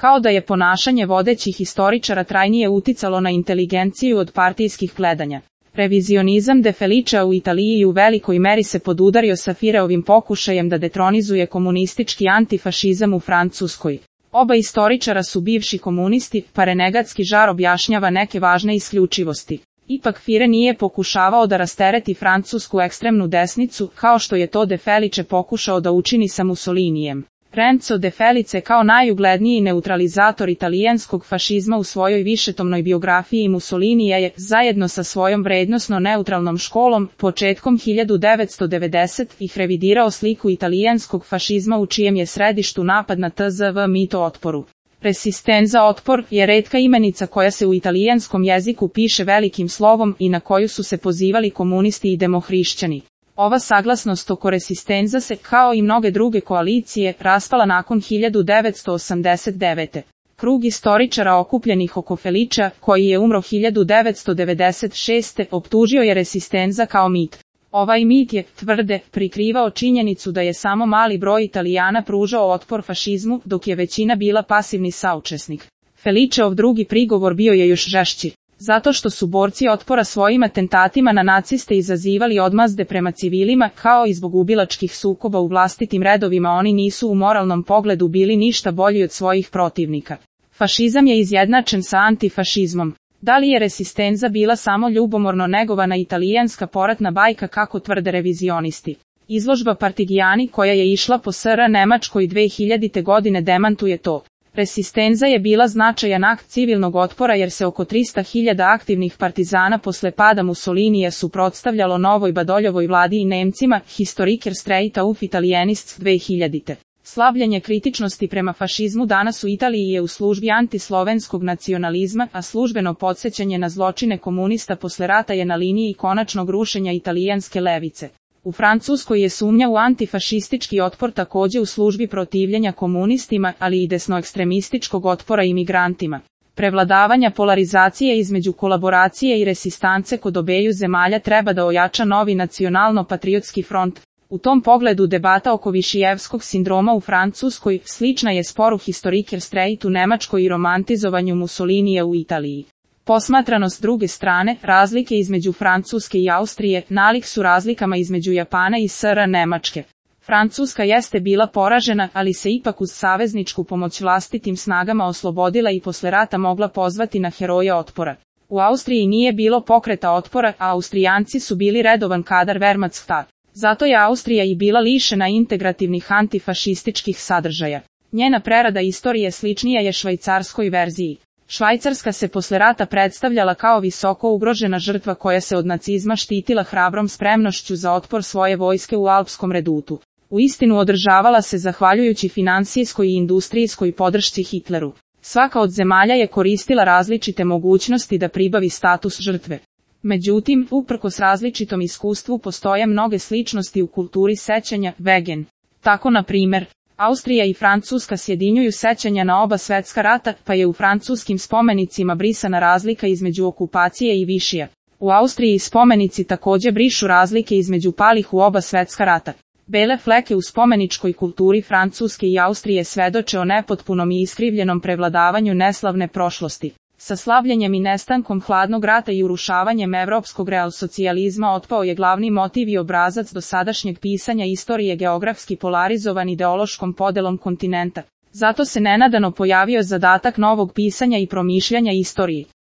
Kao da je ponašanje vodećih historičara trajnije uticalo na inteligenciju od partijskih gledanja. Revizionizam De Felicea u Italiji u velikoj meri se podudario sa Fireovim pokušajem da detronizuje komunistički antifašizam u Francuskoj. Oba istoričara su bivši komunisti, pa renegatski žar objašnjava neke važne isključivosti. Ipak Fire nije pokušavao da rastereti francusku ekstremnu desnicu, kao što je to De Felice pokušao da učini sa Mussolinijem. Renzo De Felice kao najugledniji neutralizator italijanskog fašizma u svojoj višetomnoj biografiji Mussolinija je, zajedno sa svojom vrednosno neutralnom školom, početkom 1990-ih revidirao sliku italijanskog fašizma u čijem je središtu napad na tzv. mito otporu. Resistenza otpor je retka imenica koja se u italijanskom jeziku piše velikim slovom i na koju su se pozivali komunisti i demohrišćani. Ova saglasnost oko resistenza se, kao i mnoge druge koalicije, raspala nakon 1989. Krug istoričara okupljenih oko Felicea, koji je umro 1996. optužio je resistenza kao mit. Ovaj mit je, tvrde, prikrivao činjenicu da je samo mali broj Italijana pružao otpor fašizmu, dok je većina bila pasivni saučesnik. Feliceov drugi prigovor bio je još žešći. Zato što su borci otpora svojim atentatima na naciste izazivali odmazde prema civilima, kao i zbog ubilačkih sukoba u vlastitim redovima, oni nisu u moralnom pogledu bili ništa bolji od svojih protivnika. Fašizam je izjednačen sa antifašizmom. Da li je resistenza bila samo ljubomorno negovana italijanska poratna bajka kako tvrde revizionisti? Izložba Partigiani koja je išla po SR Nemačkoj 2000. godine demantuje to. Resistenza je bila značajan akt civilnog otpora jer se oko 300.000 aktivnih partizana posle pada Mussolinija suprotstavljalo novoj Badoljovoj vladi i Nemcima, Historiker Streit auf Italienists 2000. Slavljenje kritičnosti prema fašizmu danas u Italiji je u službi antislovenskog nacionalizma, a službeno podsjećanje na zločine komunista posle rata je na liniji konačnog rušenja italijanske levice. U Francuskoj je sumnja u antifašistički otpor takođe u službi protivljenja komunistima, ali i desnoekstremističkog otpora imigrantima. Prevladavanja polarizacije između kolaboracije i resistance kod obeju zemalja treba da ojača novi nacionalno-patriotski front. U tom pogledu debata oko Višijevskog sindroma u Francuskoj slična je sporu Historiker Streit u Nemačkoj i romantizovanju Mussolinija u Italiji. Posmatrano s druge strane, razlike između Francuske i Austrije nalik su razlikama između Japana i SR Nemačke. Francuska jeste bila poražena, ali se ipak uz savezničku pomoć vlastitim snagama oslobodila i posle rata mogla pozvati na heroje otpora. U Austriji nije bilo pokreta otpora, a Austrijanci su bili redovan kadar Wehrmachtstat. Zato je Austrija i bila lišena integrativnih antifašističkih sadržaja. Njena prerada istorije sličnija je švajcarskoj verziji. Švajcarska se posle rata predstavljala kao visoko ugrožena žrtva koja se od nacizma štitila hrabrom spremnošću za otpor svoje vojske u Alpskom redutu. Uistinu održavala se zahvaljujući finansijskoj i industrijskoj podršci Hitleru. Svaka od zemalja je koristila različite mogućnosti da pribavi status žrtve. Međutim, uprkos različitom iskustvu postoje mnoge sličnosti u kulturi sećanja, Wegen. Tako na primer, Austrija i Francuska sjedinjuju sećanja na oba svetska rata, pa je u francuskim spomenicima brisana razlika između okupacije i višija. U Austriji spomenici takođe brišu razlike između palih u oba svetska rata. Bele fleke u spomeničkoj kulturi Francuske i Austrije svedoče o nepotpunom i iskrivljenom prevladavanju neslavne prošlosti. Sa slavljenjem i nestankom hladnog rata i urušavanjem evropskog realsocijalizma otpao je glavni motiv i obrazac dosadašnjeg pisanja istorije geografski polarizovan ideološkom podelom kontinenta. Zato se nenadano pojavio zadatak novog pisanja i promišljanja istoriji.